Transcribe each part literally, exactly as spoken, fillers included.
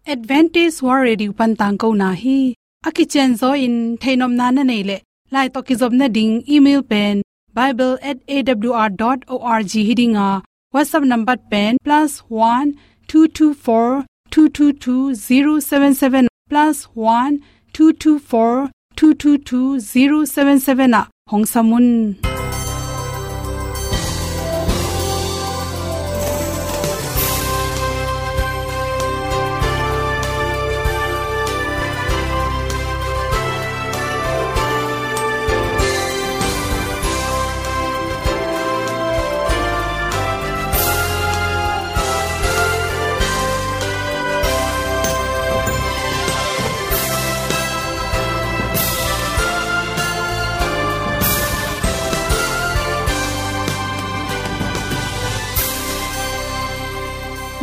Adventist World Radio pan tangkona hi. A kicianzaw in theihnopna na neih leh, lai tawh kizopna ding email pen bible at A W R dot org hi ding a, WhatsApp number pen plus one two two four two two two zero seven seven, plus one two two four two two two zero seven seven ah hong sam un.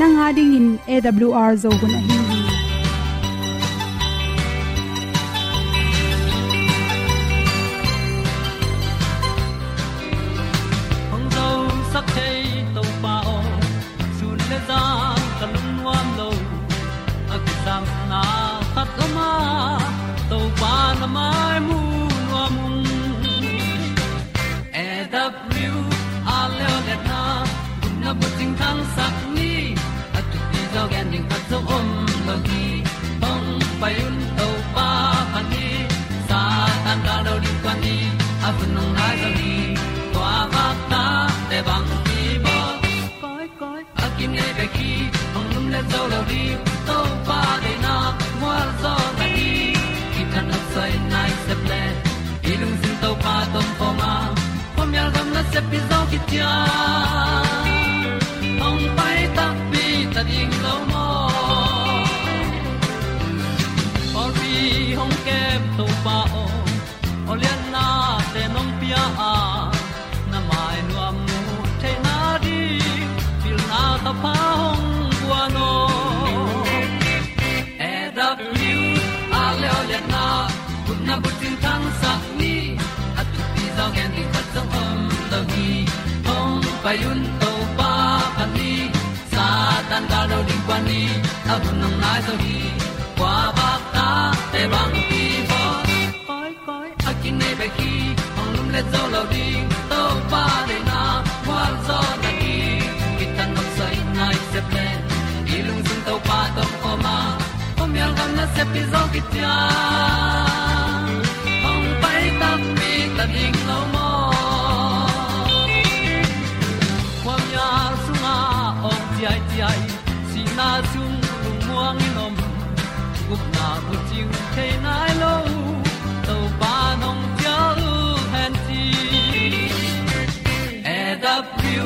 Nang a dingin A W R Zo hun ahi hi. Hong zosak thei Topa aw, sun le zan ka lungnuam lo. A kisapna khat om a, Topa na mai mu nuam ung. A W R Leolehna, gupna bucing thangsak ni, a thupi zaw gen ding khat zong om lo hi. Hong pai un Topa phat ni, Satan gal lo ding kua ni, a hun hong nai zaw hi. Kua vak ta te bang hi bawl. Koi, koi, a kinei bek hi, hong lumlet zo lo ding, Topa deihna mual zaw na hi. Kithat nopsai nai sep le, i lungsim Topa tawh om khawm a, khuamial gam nasep hi zaw khit ciang, hong pai takpi ta ding lo maw. Pawlpi hong kem Topa aw, awlianna te nong pia a, na mai nuam mu theihna ding, pilna thapha hong guan aw. A W R Leolehna, gupna bucing thangsak ni, a thupi zaw gen ding khat zong om lo hi. Hong pai un Topa phat ni, Satan gal lo ding kua ni, a hun hong nai zaw hi. Kua vak ta te bang hi bawl. Koi, koi, a kinei bek hi, hong lumlet zo lo ding, Topa deihna mual zaw na hi. Kithat nopsai nai sep le, i lungsim Topa tawh om khawm a, khuamial gam nasep hi zaw khit ciang, hong pai takpi ta ding lo maw. Khuamial sungah awng ciaiciai, sihna sung lungmuang in om, gupna bucing thei nai lo, Topa nong cial hen ci. A W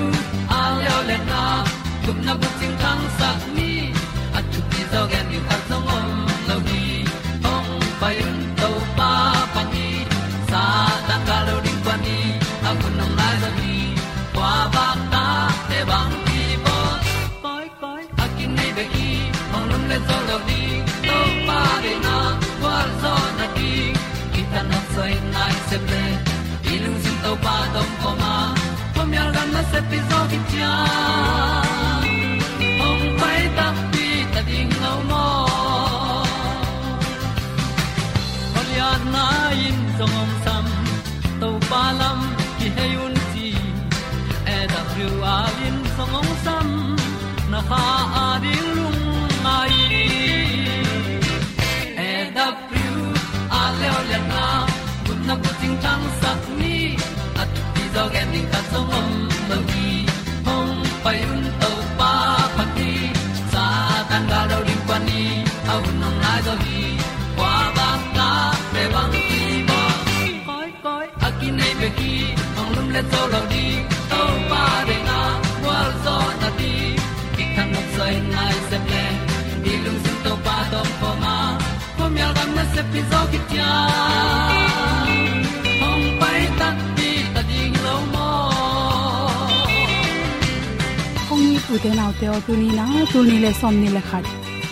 R Leolehna, gupna bucing thangsak ni, a thupi zaw gen ding khat zong om lo hi. Hong pai un Topa phat ni, Satan gal lo ding kua ni, a hun hong nai zaw hi. Kua vak ta te bang hi bawl. Koi, koi, a kinei bek hi, hong lumlet zo lo ding, Topa deihna mual zaw na hi. Kithat nopsai nai sep le, i lungsim Topa tawh om khawm a, khuamial gam nasep hi zaw khit ciang, hong pai takpi ta ding lo maw. Awlianna in zong hong sam, Topa lam kihei un ci. A W R in zong hong sam, na kha a ding lungngai. A W R Leolehna, gupna bucing thangsak ni, a thupi zaw gen ding khat zong om lo hi. Hong pai un Topa phat ni, Satan gal lo ding kua ni, a hun hong nai zaw hi. Kua vak ta te bang hi bawl. Koi, koi, a kinei bek hi, hong lumlet zo lo ding, Topa deihna mual zaw na hi. Kithat nopsai nai sep le, i lungsim Topa tawh om khawm a, khuamial gam nasep hi zaw khit ciang, hong pai takpi ta ding lo maw. Kong it u te nau te aw, tuni na, tul nih le sawmnih le khat,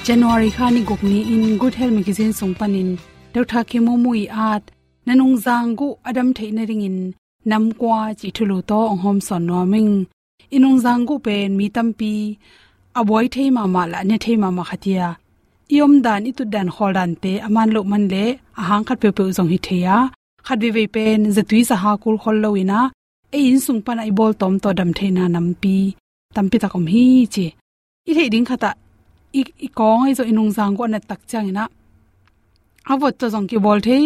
January kha ni guk ni-in Good Health Magazine sung panin Doctor Khin Maung Maung ii at, na nungzang guh a dam theih nadingin nam kua cih thulu tawh hong hawmsawn nuam ing. I nungzang guh pen mi tampi a buai thei mahmah le a ne thei mahmah khat hi a, i omdan, i tutdan, khawldante a man loh man leh a hang khat peuhpeuh zong hi thei a, khat veivei pen zatui zaha kul khol lo in ah, ei inn sung panah i bawltawm tawh dam theihna nampi tampi tak om hi ci. I theih ding khat ah, i, i kawng ahi zong i nungzang guh a nat tak ciangin ah, a vot tawh zong kibawl thei,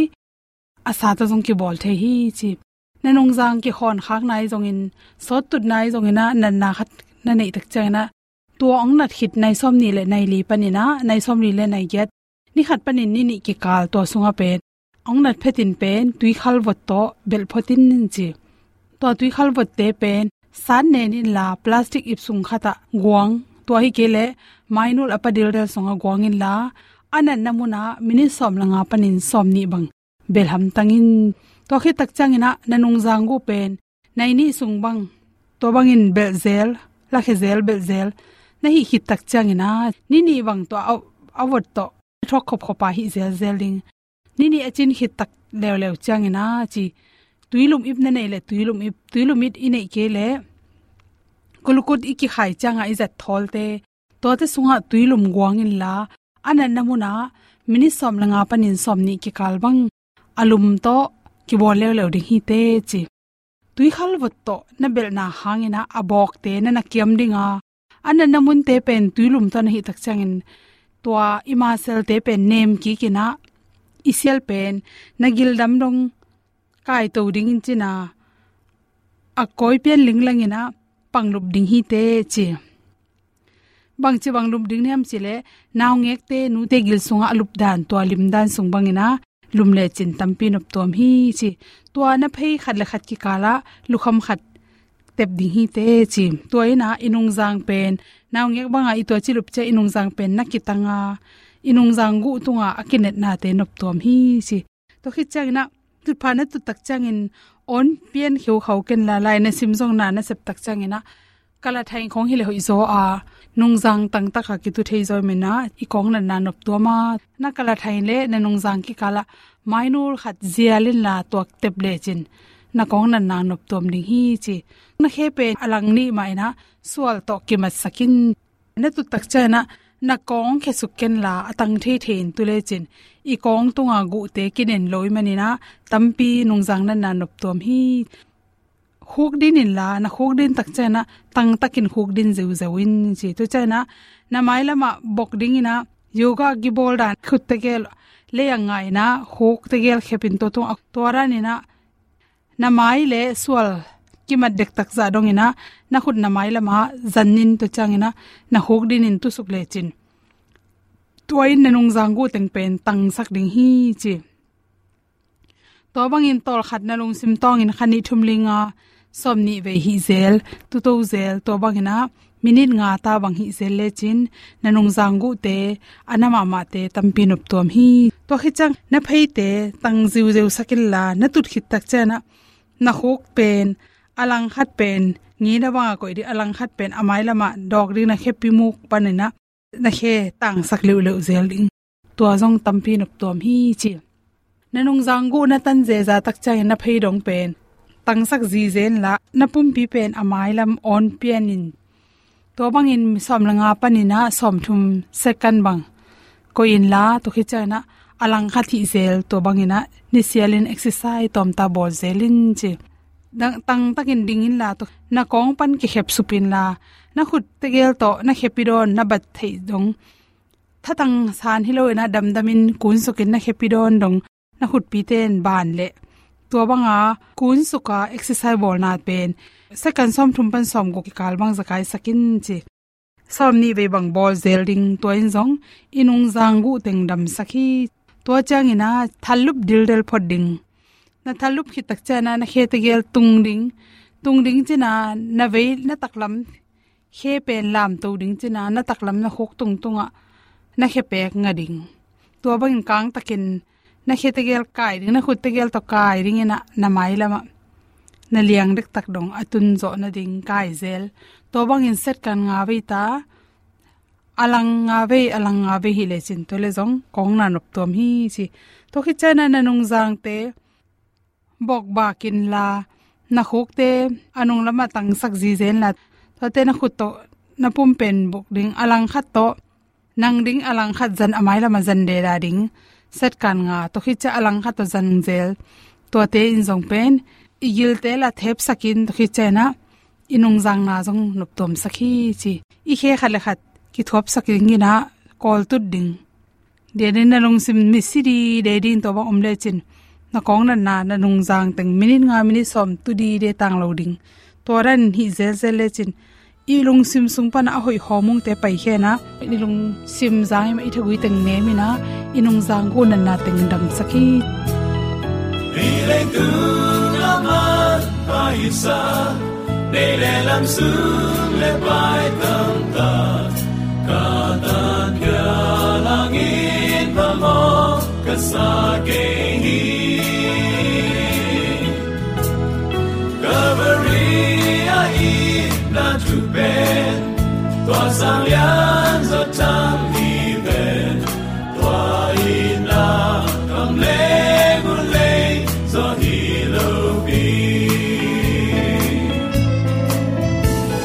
a sa tawh zong kibawl thei hi ci. Na nungzang kikhawn khakna ahi zongin, sawt tutna ahi zongin ah, natna khat na neih tak ciangin ah, tua hong nat khit nai sawmnih le nai li panin ah, nai sawmli le nai giat, ni khat panin ni nih kikal, tua sungah pen hong nat phetin pen tuikhal vot tawh belh phot in ci. Tua tuikhal votte pen sat nen inla, plastic ip sung khat ah guang, tua hi kei leh mainul a pa dildel sungah guang inla, a natna munah minit sawm le nga panin sawmnih bang belh hamtang in. Tua khit tak ciangin ah na nungzang guh pen nai nih sung bang, tua bangin belh zel, lakhia zel, belh zel na hih khit tak ciangin ah, ni nih bang tua a, a vot tawh thuak khopkhop a hih zelzel ding. Ni nih a cin khit tak leuleu ciangin ah ci, tuilum ip na neih leh tuilum ip, tuilum ip i neih kei leh kulukut i kikhai ciangah i zat thawlte, tuate sungah tuilum guang inla, a natna munah minit sawm le nga panin sawmnih kikal bang a lum tawh kibawl leuleu ding hi teh ci. Tuikhal vot tawh na belhna hangin ah a bawkte na na kiam ding a, a natna munte pen tuilum tawh na hih tak ciangin, tua i maselte pen nem kik in ah, i sial pen na gil dam dong kaito dingin cin ah, a kawi pian linglangin ah pang lup ding hi teh ci. Bangci bang lup ding hiam cih leh, naungekte, nute gil sungah a lupdan, tua limdan sung bangin ah lum lecin tampi noptuam hi ci. Tua na phei khat le khat kikalah lukham khat tep ding hi teh ci. Tua in ah i nungzang pen, naungek bangah i tuaci lup ciang i nungzang pen na kitang a, i nungzang guh tungah a kinetnate noptuam hi ci. Tua khit ciangin ah, tutphah na tut tak ciangin awn pian kheukhau kenla, lai na sim zong na na sep tak ciangin ah, kalathain khawng hi leh hoih zaw a, nungzang tangtak a kitu thei zaw i hih manin ah, i kawng natna noptuam a, na kalathain leh na nungzang kikalah mainul khat zial inla tuak tep lecin, na kawng natna noptuam ding hi ci. Na khe pen a lang nih mah in ah sual tawh kimatsak in. Na tut tak ciangin ah, na kawng khesuk kenla a tang theithei in tu lecin, i kawng tunga guhte kinen lo i hih manin ah, tampi nungzang natna noptuam hi. Khukdin inla, na khukdin tak ciangin ah tangtakin khukdin zeuzeu in ci. Tua ciangin ah, na mailamah bok dingin ah, yoga kibawl dan khut tegel lei-ah nga in ah, khuk tegel khep in tua tungah, tua danin ah na mai le sual kimat dektak zah dongin ah, na khut na mailamah zanin, tua ciangin ah na khukdin in tusuk lecin, tua in na nungzang guh teng pen tangsak ding hi ci. Tua bangin tawlkhat na lungsim tawngin kha nih thum li nga sawmnih vei hih zel, tuto zel, tua bangin ah minit nga ta bang hih zel lecin, na nungzang guhte, a na mahmahte tampi noptuam hi. Tua khit ciang na pheite tang ziuzeu sak inla, na tut khit tak ciangin ah, na khuk pen a lang khat pen ngina bangah koih ding, a lang khat pen a mailamah dawk ding, na khepi muk panin ah na khe tangsak leuhleuh zel ding. Tua zong tampi noptuam hi ci. Na nungzang guh na tan zeza tak ciangin na phei dong pen tangsak zizen la, na pumpi pen a mailam awn pianin, tua bangin sawm le nga panin ah sawmthum second bang koih inla, tua khit ciangin ah a lang khat hih zel, tua bangin ah nisialin exercise tawmta bawl zel in ci. Tang, tangtakin ding inla, tua na kawng pan kikhep sup inla, na khut tegel tawh na khepi dawn, na bat theih dong, thatang san hi loin ah damdamin kunsukin na khepi dawn dong, na khutpite in ban leh, tua banga kunsuka exercise bawlna pen second sawmthum pan sawmguk kikal bang zakaisak in ci. Sawmnih vei bang bawl zel ding, tua in zong i nungzang guh teng damsak hi. Tua ciangin ah thallup dildel phot ding. Na thallup khit tak ciangin ah na khe tegel tung ding. Tung ding cin ah na vei, na taklam khe pen lamto ding cin ah, na taklam na khuk tungtungah na khe pek nga ding. Tua bangin kangtakin na khe tegel kai ding, na khut tegel tawh kai dingin ah na mailamah na liang dektak dong a tun zawh nading kai zel. Tua bangin second nga vei ta, a lang nga vei, a lang nga vei hih lecin, tua leh zong kawng na noptuam hi ci. Tua khit ciangin ah na nungzangte bokbak inla, na khukte a nunglamah tangsak zizen la, tuate na khut tawh na pum pen bok ding, a lang khat tawh Nang ding a langkhat zan a mailam a zan deda ding. Set kan nga, tua khit ciang a langkhat tawh zan zel. Tuate in zong pen i gilte la thepsakin tua khit ciang inah i nungzangna zong noptuamsak hi ci. I khe khat le khat kithuapsak ding inah kawltut ding. Dia den na lungsim misi dide ding tua bang om lecin, na kawng natna, na nungzang teng minit nga minit sawm tu dide tang lo ding. Tua dan hih zelzel lecin i lungsim sung pana a hoih hawmungte paikhia inah i lungsim zang i mah i thagui teng nem inah i nungzang gu natna teng damsak hi. Hih leitung a man paisa, nei le lam sung le pai tamtak, ka tan ka langin phamawh ka sa kei hi. Calvary a itna thu pen tua sang lian zaw tham hi ven. Tua itna kam leng uh lei zaw hi lo pi.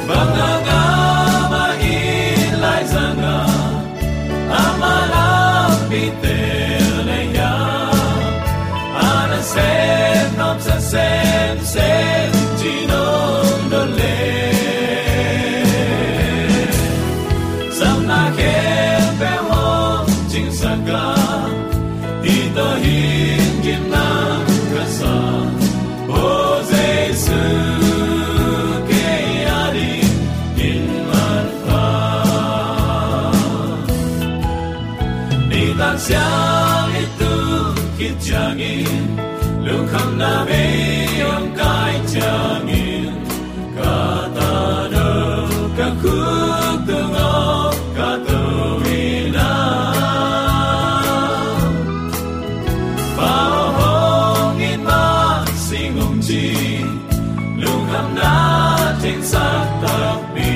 Bang a ngam a it lai zanga, ama lampi tel na hia, a nasem nuamsa semsem ci nong dot le. Samna khempeuh hong cingsak a, hih tawh hin gimna ka sa. O Jesu, kei a dingin manpha. Nitak siang i tu khit ciangin, lungkhamna mei hong kai ciangin, ka ta do ka khuk tung aw ka to ina. Pa aw hong it mah sing hong ci, lungkhamna thengsak takpi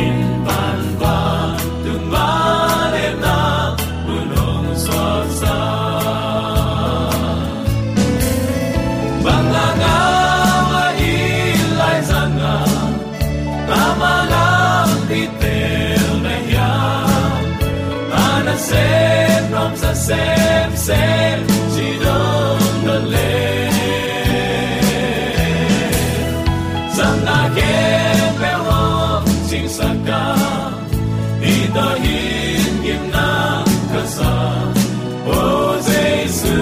in pan vantung vangliatna mun hong suaksak. Bang a ngam a it lai zanga, ama lampi tel na hia, a nasem nuamsa semsem ci nong dot le. Samna khempeuh hong cingsak a, hih tawh hin gimna ka sa. O Jesu,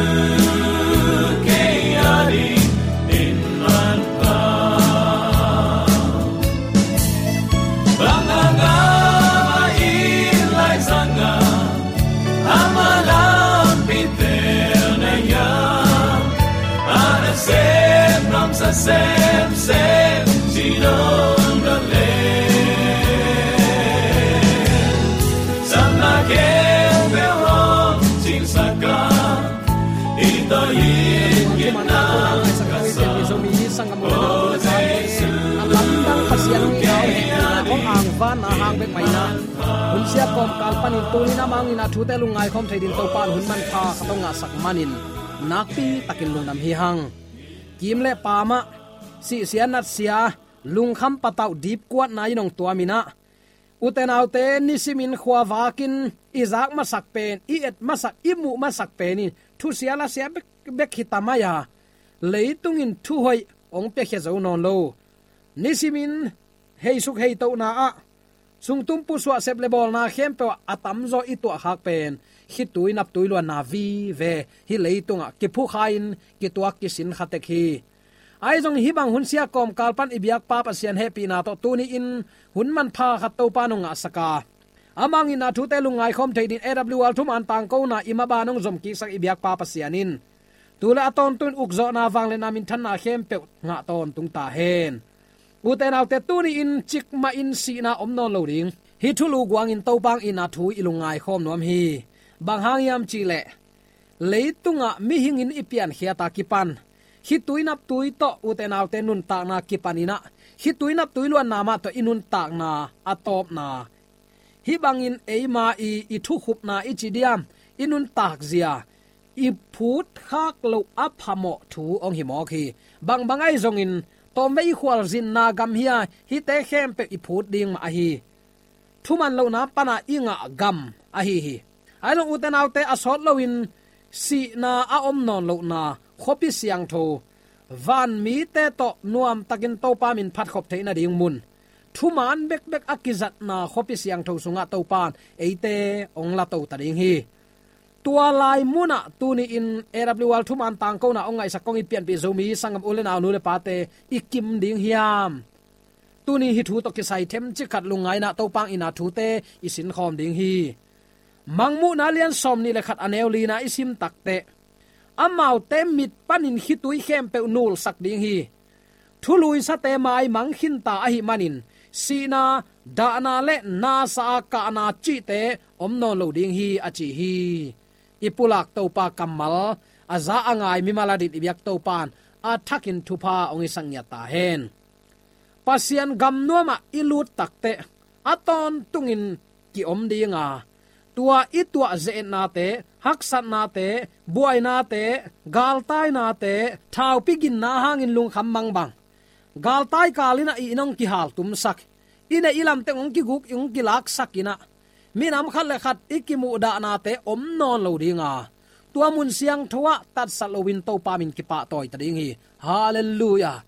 kei a dingin manpha. Bang a ngam a it lai zanga, ama lampi tel na hia, a nasem nuamsa semsem ci nong dot le. Samna khempeuh hong cingsak a, hih tawh hin gimna ka sa. Zomi sanggam u le nau, a lamdang Pasian hong itna, hong angvanna hang bek mah ina, hun siat kawmkal panin tuni-in amah hong itna thute lungngai khawm thei dingin Topa in hun manpha khat hong ngahsak manin nakpi takin lungdam hi hang. Kim le pam ah, sihsia natsia, lungkham patauh dipkuatna in hong tuam inah, ute naute, nisimin khuavakin i zak masak pen, i et masak, i muh masak pen in thusia lasia bek, bek hi ta mai a, leitung in thuhoih hong piakhia zo nawn lo. Nisimin heisuk heitohna ah, sungtum pusuah sep le bawlna khempeuh ah a tamzaw i tuahkhak pen khitui naptui luanna vive, hih leitungah kiphukha-in kituak kisin kha tek hi. Ahi zongin hih bang hun siat kawmkal pan i biakpa Pasian hehpihna tawh tuni-in hun manpha khat Topa in hong ngahsak a, amah hong itna thute lungngai khawm thei dingin A W R thuman tangkona i maban hong zomkiksak i biakpa Pasian in tu le a tawntung in ukzawhna, vangliatna, minthanna khempeuh ngah tawntung ta hen. Ute naute, tuni-in cikmahin sihna om nawn lo ding. Hih thulu guangin Topa hong itna thu i lungngai khawm nuam hi. Bang hang hiam cih leh, leitungah mihing in i piankhiat a kipan, khitui naptui tawh ute naute nuntakna kipan inah, khitui naptui luanna mah tawh i nuntakna a tawpna, hih bangin eima i, i thukhupna i ci diam, i nuntakzia i phutkhak loh a phamawh thu hong hi mawk hi. Bangbang ahi zongin, tawmvei i khualzinna gam hi a, hihte khempeuh i phut ding mah ahi. thuman lohna pana i ngah gam ahi hi. Ahi zong ute naute, a sawt loin sihna a om nawn lohna khuapi siangtho, van mite tawh nuamtakin Topa min phatkhop theih nading mun, thuman bekbek a kizatna khuapi siangtho sungah Topa in eite hong la to ta ding hi. Tua lai munah tuni-in A W R thuman tangkona hong ngaihsak kong i pianpih Zomi sanggam u le nau, nu le pate i kim ding hiam? Tuni hih thu tawh kisai themcik khat lungngaina Topa hong itna thute i sinkhawm ding hi. Mangmuhna lian sawmnih le khat, a neu lina i sim takteh, amaute mit panin khitui khempeuh nulsak ding hi. Thuluisate maimang khinta ahih manin sihna, dahna le nasa a kahna cihte om nawn lo ding hi, a ci hi. I pulak Topa kammal a za a ngai mimal adingin i biak Topa in a thakin thupha hong hisak ngiat ta hen. Pasian gam nuamah i lut takteh a tawntungin ki-om dinga, tua i tuah ze-etnate, haksatnate, buainate, galtainate, thaupi ginna hangin lungkham mangbang, galtai kalin ah i inn hong kihaltumsak, i neih i lamteng hong kiguk, hong kilaksak in ah, minam khat le khat i kimuhdahnate om nawn lo dinga, tua mun siangtho ah tatsat loin Topa min kipahtawi ta ding hi. Halleluiah.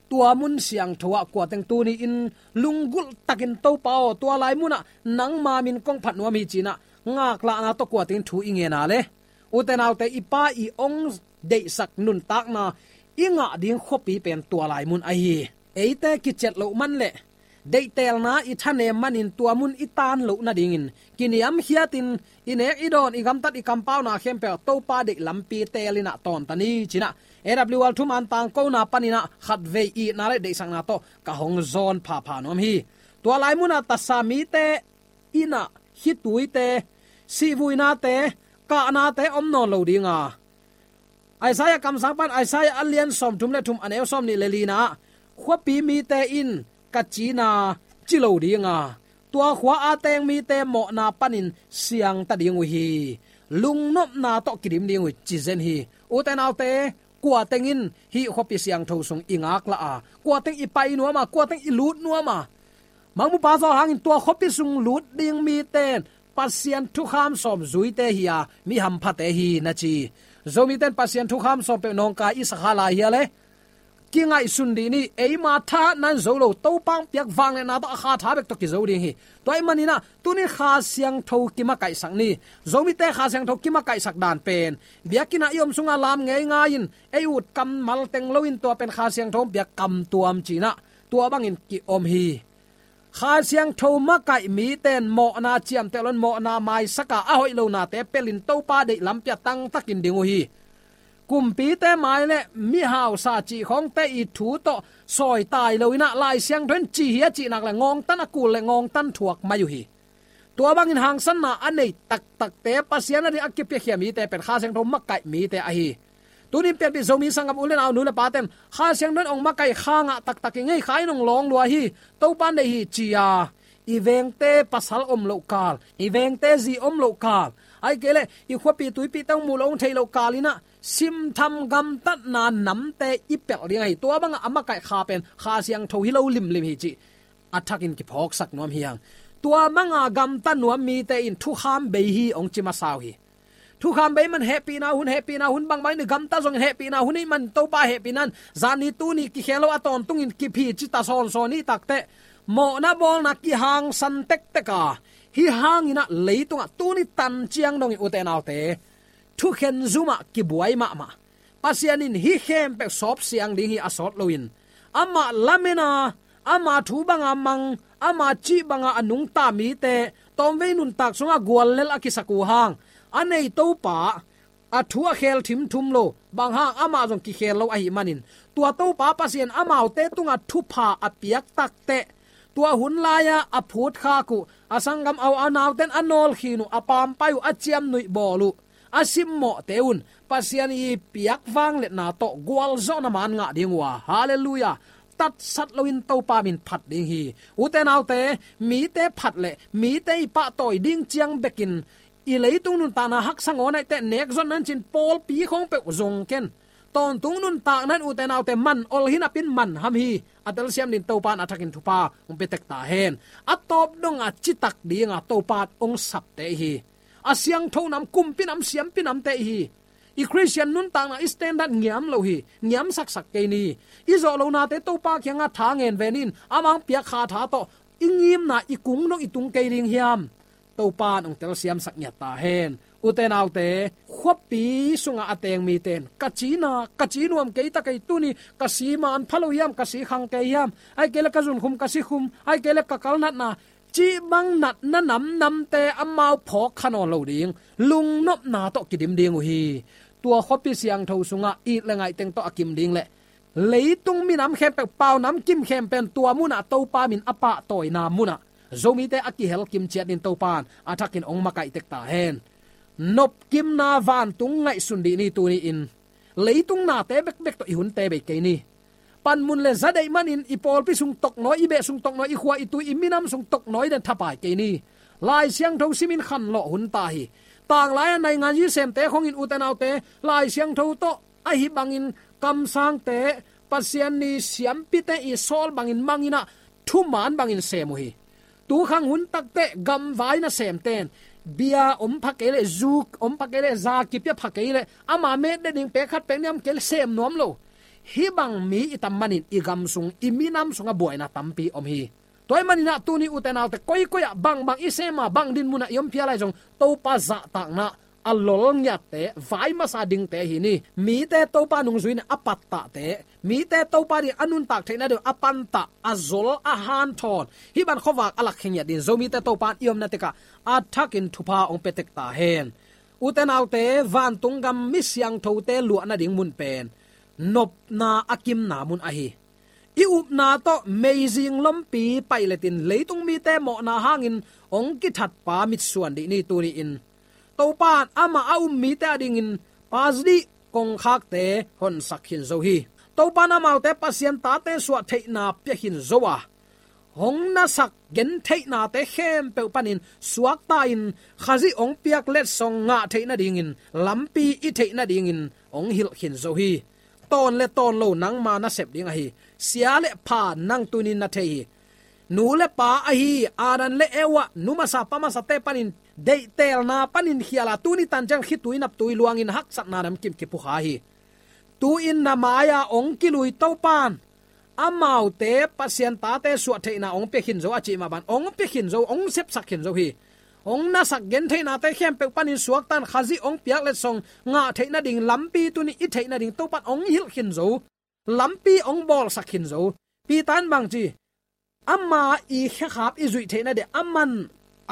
Tua mun siangtho ah kuateng tuni-in lunggulh takin, Topa aw, tua lai munah nangma min kong phat nuam hi, ci-in ah ngaklahna tawh kuateng thu i ngen a le, ute naute, i Pa i hong deihsak nuntakna i ngah ding khuapi pen tua lai mun ahi hi. Eite kiciat loh man le deihtelna i thanem manin tua mun i tan loh nadingin kiniamkhiatin, i nek i dawn, i gamtat, i kampauna khempeuh Topa deih lampi telin ah tawntan ni, ci-in ah A W R thuman tangkona panin ah khatvei itna le deihsakna tawh ka hong zawn phapha nuam hi. Tua lai munah tasa mite in ah khituite, sihvuinate, kahnate om nawn lo dinga, Isaiah kamsang pan, Isaiah a lian sawmthum le thum, a neu sawmnih le lina ah, khuapi mite in ka cina ci lo dinga, tua khua a teng mite mawhna panin siangta ding uh hi. Lungnopna tawh kidim ding uh hi, ci zen hi. Ute naute, kuateng in hih khuapi siangtho sung i ngaklah a, kuateng i pai nuam a, kuateng i lut nuam a, Mangmupa zaw hangin tua khuapi sung lut ding mite in Pasian thukham sawm zuite hi a, mi hamphate hi, na ci. Zomite in Pasian thukham sawm peuh nawngkai i sa kha lai hi a le, kingaihsun dih ni. Eima thahatna in zo lo, Topa hong piak vangliatna tawh a kha tha bek tawh kizo ding hi. Tua ahih manin ah tuni Kha Siangtho kimakaihsak ni. Zomite Kha Siangtho kimakaihsak dan pen, biakinn ah i om sungah lam ngeingai in, ei ut kammal teng loin tua pen Kha Siangtho hong piak kamtuam, ci-in ah tua bangin ki-om hi. Kha Siangtho makaih mite in mawhna ciamteh loin mawhna maisak a, a hoih lonate pelin Topa deih lampi ah tangtakin ding uh hi. Kumpite mai le mihausa cih khawngte i thu tawh sawitai loin ah Lai Siangtho in ci hi a cih nak le ngawngtan a kul le ngawngtan thuak mai uh hi. Tua bangin hangsanna a nei taktakte, Pasian ading a kipiakhia mite pen Kha Siangtho makaih mite ahi. Tunin pianpih Zomi sanggam u le nau, nu le pate in Kha Siangtho in hong makaih, kha ngah taktak ing ei, kha in hong lawng lua hi, Topa in deih hi, ci-a i vengte pasal om loh kal, i vengte zi om loh kal, ahih kei leh i khuapi tuipite hong muh loh, hong theih loh kal in ah simtham gamtatna namte i pelh ding ahi. Tua bangah a makaih kha pen Kha Siangtho hi lo limlim hi cih a thakin kiphawksak nuam hi hang. Tua banga gamta nuam mite in thukham bei hi hong ci masa uh hi. Thukham bei man hehpihna hun, hehpihna hun bangbang in i gamta zongin hehpihna hun ahih man Topa hehpihna in zani tuni kikhel lo a tawntungin kiphi cita sawnsawn i hih takteh, mawhna bawlna kihangsan tektek a, hih hangin ah leitungah tuni tan ciang dongin, ute naute, thukhen zumah kibuai mahmah. Pasian in hih khempeuh sawpsiang ding hi, a sawt loin. Amah lamen a, ama thu banga mang, ama cih banga a nungta mite, tawmvei nuntak sungah guallel a kisak uh hang, a nei Topa a thu a khel thimthum lo, bang hang, amah zong kikhel lo ahih manin, tua Topa Pasian amaute tungah thupha a piak takteh, tua hun lai-a a phutkhak uh, a sanggam a u a naute in a nawlkhin uh, a pampai uh, a ciamnuih bawl uh, a simmawhte un Pasian i piak vangliatna tawh gualzawhna man ngah ding uh a, halleluiah, tatsat loin Topa min phat ding hi. Ute naute, mite phat le mite i pahtawi ding ciang bekin i leitung nuntakna haksa ngawn ahih teh, nek zotna in cin pawlpi khawng peuh zong ken, tawntung nuntakna in, ute naute, man ol hi napi-in man ham hi, a telsiam ding Topa in a thakin thupha hong pia tek ta hen. A tawp dong a citak ding a Topa in hong sapte hi. A siangtho nam, kumpi nam, siampi namte hi. I Khristian nuntakna i standard ngiam lo hi, ngiam saksak kei ni. I zawh lonate Topa kiangah tha ngen ve ni in, amah hong piak kha tha tawh i ngimna i kung dong i tung kei ding hiam? Topa in hong telsiam sak ngiat ta hen. Ute naute, khuapi sungah a teng mite in, ka ci na, ka ci nuam kei ta kei, tuni ka si man pha lo hiam, ka si khang kei hiam, ahih kei leh ka zunkhum, ka sikhum, ahih kei leh ka kalnatna, cih bang natna namnamte amau phawk kha nawn lo ding, lungnopna tawh kidim ding uh hi. Tua khuapi siangtho sungah it le ngaih teng tawh a kim ding leh leitung minam khempeuh, pau namkim khempeuh in tua munah Topa min a pahtawina munah Zomite a kihel kim ciat ding Topa in a thakin hong makaih tek ta hen. Nopkimna vantung ngaihsun dih ni tuni-in. Leitung nate bekbek tawh i hunte bei kei ni. Panmun le za deih manin i pawlpi sung toknawi, i beh sung toknawi, i khua i tui, i minam sung toknawi den thapai kei ni. Lai Siangtho simin khanlawh hun ta hi. Tanglai-a naingan zi semte khawngin, ute naute, Lai Siangtho tawh ahi bangin kamsangte, Pasian ni siampite i sawl bangin mang in ah, thuman bangin sem uh hi. Tukhang hun takteh gamvai nasemte in bia om pha kei leh, zu om pha kei leh, za kipia pha kei leh, ama met ding pek khat pek nih om kei leh sem nuam lo. Hih bang mi i tam manin i gam sung, i minam sungah buaina tampi om hi. Tua ahih manin ah tuni, ute naute, koikoi ah bangbang i sem a, bang dinmun ah i om phial lai zong, Topa zahtakna a lol ngiatte, vai masa dingte hi ni. Mite Topa nungzui in a pattahte, mite Topa ding a nuntak theihna ding a pantah, a zol, a hanthawn, hih bang khuavak a lakkhia ngiat ding Zomite Topa in i omna tekah a thakin thupha hong pia tek ta hen. Ute naute, vantung gam mi siangthote luahna ding mun pen nopna a kimna mun ahi. I upna tawh meizing lompi paih letin leitung mite mawhna hangin hong kithatpa mitsuan dih ni tuni-in. Topa in amah a um mite adingin pasdih kongkhakte honsak khin zo hi. Topa in amaute Pasian tate suah theihna pia khin zo a, hong nasak gentheihnate khempeuh panin suakta-in Khazih hong piak letsong ngah theih nadingin lampi i theih nadingin hong hilh khin zo hi. Tawn le tawn lo nangma nasep ding ahi. Sia le pha nang tunin na thei hi. Nu le pa ahi Adam le Eva, nu masa pa masate panin deihtelna panin khial a, tuni tan ciang khitui naptui luangin haksatna nam kim kipukha hi. Tu-in na mai-a hong kilui Topa in amaute Pasian tate suah theihna hong pia khin zo a cih mah bang, hong pia khin zo, hong sepsak khin zo hi. Hong nasak gentheihnate khempeuh panin suakta-in Khazih hong piak letsong ngah theih nading lampi tuni i theih nading Topa in hong hilh khin zo. Lampi hong bawlsak khin zo. Peter in bang ci? Ama i khekhap i zuih theih nading, aman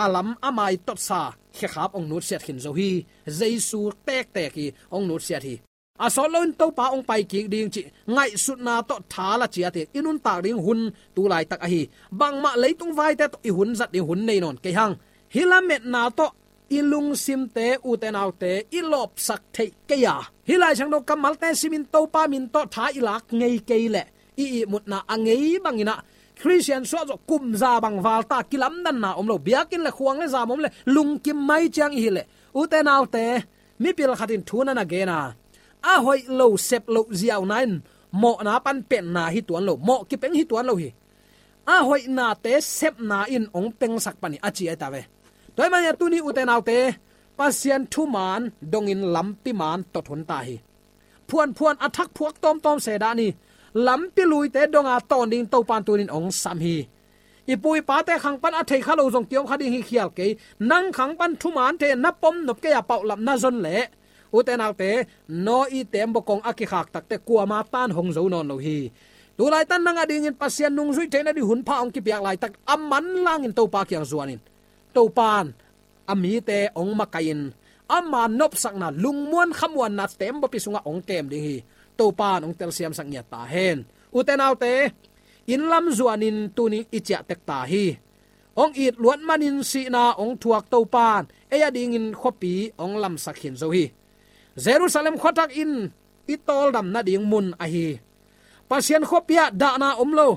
a lam ama i totsa khekhap hong nutsiat khin zo hi. Jesu tektek hi, hong nutsiat hi. A sawt loin Topa hong pai kik ding cih ngaihsutna tawh tha la ciat hi. I nuntak ding hun tu laitak ahi. Bangmah leitung vaite tawh i hun zat ding hun nei nawn kei hang. Hih lametna tawh i lungsimte, ute naute, i lawpsak theih kei a, hih Lai Siangtho kammalte simin Topa min tawh tha i lak ngei kei leh, i ihmutna a ngei bangin ah Khristian suah zawh kum za bang val ta, kilamdanna om lo, biakinn le khuang le zam om le lungkim mai ciang i hi leh, ute naute, mipil khat in thu na na gen a, a hoih lo, sep loh ziauna in mawhna pan penna hi tuan lo, mawh kipeng hi tuan lo hi. A hoihnate sepna in hong pengsak pan hi a ci ahi ta ve. Tua ahih manin ah tuni, ute naute, Pasian thuman dongin lampi man tot hun ta hi. Phuanphuan a thak phuak tawmtawm se dah ni. Lampi luite donga tawn ding Topa in tunin hong sam hi. I pu i pate khang pan a thei kha lo zong kiom kha ding hi khial kei. Nang khang pan thuman thei na pom nop kei a, paulap na zon leh, ute naute, Noah i teembaw kong a kikhak takteh kuama tan hong zo nawn lo hi. Tu laitak nang adingin Pasian nungzuih theih nading hun pha hong kipiak laitak, a manlangin Topa kiang zuan in. Topa in a mite hong makaih in, ama nopsakna, lungmuan khamuanna teembawpi sungah hong kem ding hi. Topa in hong telsiamsak ngiat ta hen. Ute naute, inn lam zuanin tuni i ciah tek ta hi. Hong it luat manin sihna hong thuak Topa in ei adingin khuapi hong lamsak khin zo hi. Jerusalem khuathak in i tawldam nading mun ahi. Pasian khuapi ah dahna om lo,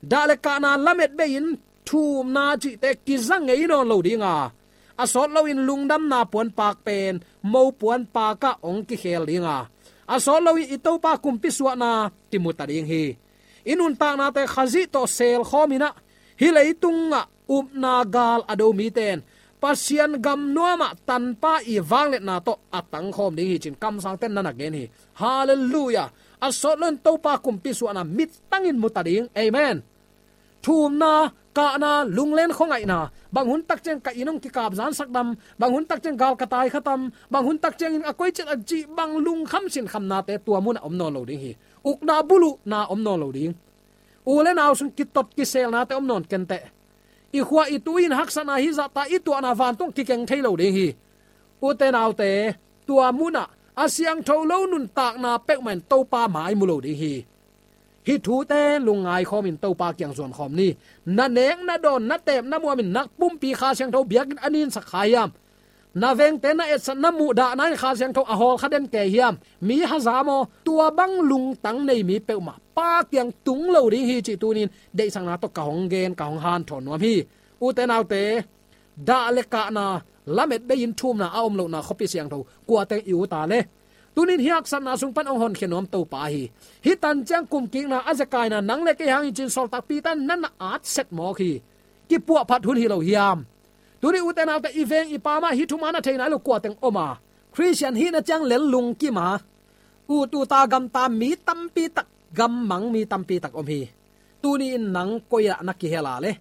dah le kahna lamet bei-in thumna cihte kiza ngei nawn lo ding a, a sawt loin lungdamna puanpak pen mopuanpak ah hong kikhel ding a, a sawt loin i Topa kumpi suahna kimu ta ding hi. I nuntaknate Khazih tawh selkhawm in ah, hih leitungah upna gal a do mite in Pasian gam nuamah tanpa i vangliatna tawh a tangkhawm ding hi ci-in kamsangte'n na na gen hi. Halleluiah. A sawt loin Topa kumpi suahna mittangin mu ta ding. Amen. Thumna, kahna, lunglen khuangaihna, bang hun tak ciang ka inn hong kikap zansak tam, bang hun tak ciang gal ka tai kha tam, bang hun tak ciangin a koi ciat a cih bang lungkham sinkhamnate tua munah om nawn lo ding hi. Ukna buluhna om nawn lo ding. U le nau sung kitot kiselnate om nawn kenteh. I khua i tui in haksatna hih zahta i tuahna vantung kikeng thei lo ding hi. Ute naute, tua munah a siangtho lo nuntakna peuhmah in Topa mai mu lo ding hi. Hih thute lungngai khawmin Topa kiang zuan khawm ni. Na nek, na dawn, na teep, na muamin na pumpi Kha Siangtho biakinn a ninsak kha hiam? Na vengte na etsat, na muhdahna in Kha Siangtho a hawl kha den kei hiam? Mi haza maw? Tua bang lungtang nei mi peuhmah Pa kiang tung lo ding hi cih tuni-in deihsakna tawh ka hong gen, ka hong hanthawn nuam hi. Ute naute, dah le kahna, lamet bei-in thumna a om lohna khuapi siangtho kua teng i ut a le? Tuni-in hih haksatna sung pan hong honkhia nuam Topa hi. Hih tan ciang kumkikna a zekaina nang le kei hang hi ci-in sawltak Peter in na na at set mawk hi. Kipuahphat hun hi lo hiam? Tuni ute naute, i veng i pam ah hih thuman a thei nai lo kua teng om a? Khristian hihna ciang lel lungkim a, ut ut a gamta mi tampi tak, gammang mi tampi tak om hi. Tuni-in nang koi ah na kihel a le?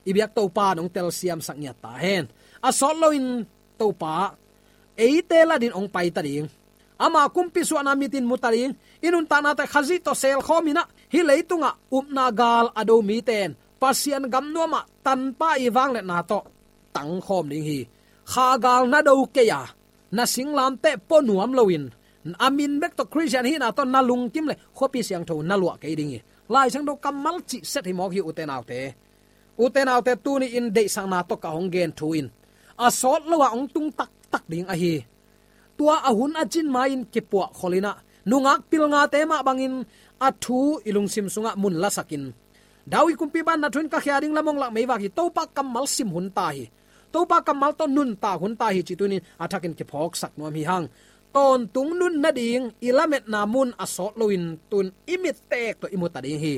I biak Topa in hong telsiamsak ngiat ta hen. A sawt loin Topa eite latin hong pai ta ding. Ama kumpi suahna mitin mu ta ding. I nuntaknate Khazih tawh selkhawm in ah, hih leitungah upna gal a do mite in Pasian gam nuamah tanpa i vangliatna tawh tangkhawm ding hi. Kha gal na do kei a, na singlamteh pua nuam loin, a min bek tawh Khristian hihna tawh na lungkim leh khuapi siangtho na luah kei ding hi. Lai Siangtho kammal cih set hi mawk hi ute naute. Ute naute, tuni-in deihsakna tawh ka hong gen thu in a sawt lo ah hong tung taktak ding ahi. Tua a hun a cin ma-in kipuahkhol in ah, nungak pilngate mah bangin a thu i lungsim sungah mun lasakin, David kumpipa in na thu in ka khia ding lam hong lak meivak hi. Topa kammal sim hun ta hi. Topa kammal tawh nuntak hun ta hi cih tuni-in a thakin kiphawksak nuam hi hang. Tawntung nun nading i lametna mun a sawt loin tun i mittek tawh i mu ta ding hi.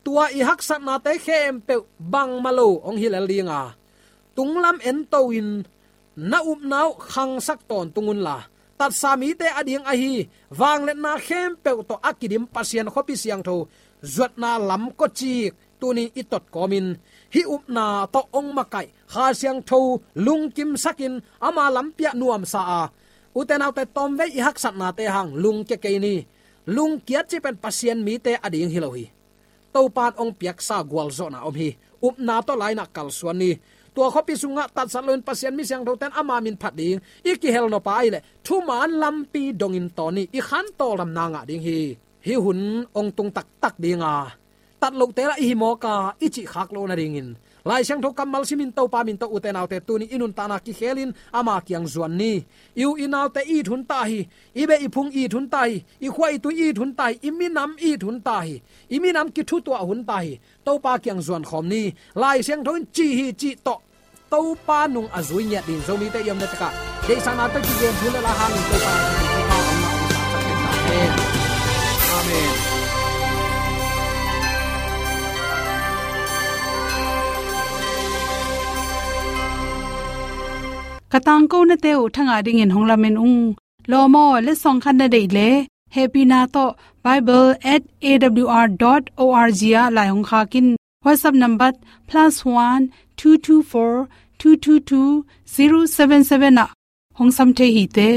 Tua i haksatnate khempeuh bangmah lo hong hi lel ding a, tunglam ento-in na upna uh khangsak tawntung unla, tatsa mite ading ahi vangliatna khempeuh tawh a kidim Pasian khuapi siangtho zuatna lam kawcik tuni i tot kawmin, hih upna tawh hong makaih Kha Siangtho lungkimsakin ama lampi ah nuamsa a, ute naute, tawmvei i haksatnate hang lungkia kei ni. Lungkiat cih pen Pasian mite ading hi lo hi. Topa in hong piaksa gualzawhna om hi. Upna tawh lainah kalsuan ni. Tua khuapi sungah tatsat loin Pasian mi siangthote in ama min phat ding i kihel nop a ahih leh thuman lampi dongin tawn ni. I khan tawldamna ngah ding hi. Hih hun hong tung taktak ding a, tat lohte lah i hi mawk a, i cih khak loh nadingin Lai Siangtho kammal simin Topa min tawh, ute naute, tuni i nuntakna kikhelin ama kiang zuan ni. I u i naute it hun ta hi. I beh i phung it hun ta hi. I khua i tui it hun ta hi. I minam it hun ta hi. I minam kithutuah hun ta hi. Topa kiang zuan khawm ni. Lai Siangtho in ci hi cih tawh Topa nung a zui ngiat ding Zomite i omna tekah deihsakna tawh kigen thu le la hangin Topa a hong na hong saksak tek ta hen. Amen. Ka tangkonate uh thangah dingin hong lamen ung. Lawm aw, letsong khat na deih leh hehpihna tawh bible at A W R dot O R G ah lai hong khak in. WhatsApp number plus one two two four two two two zero seven seven ah hong sam thei hi te.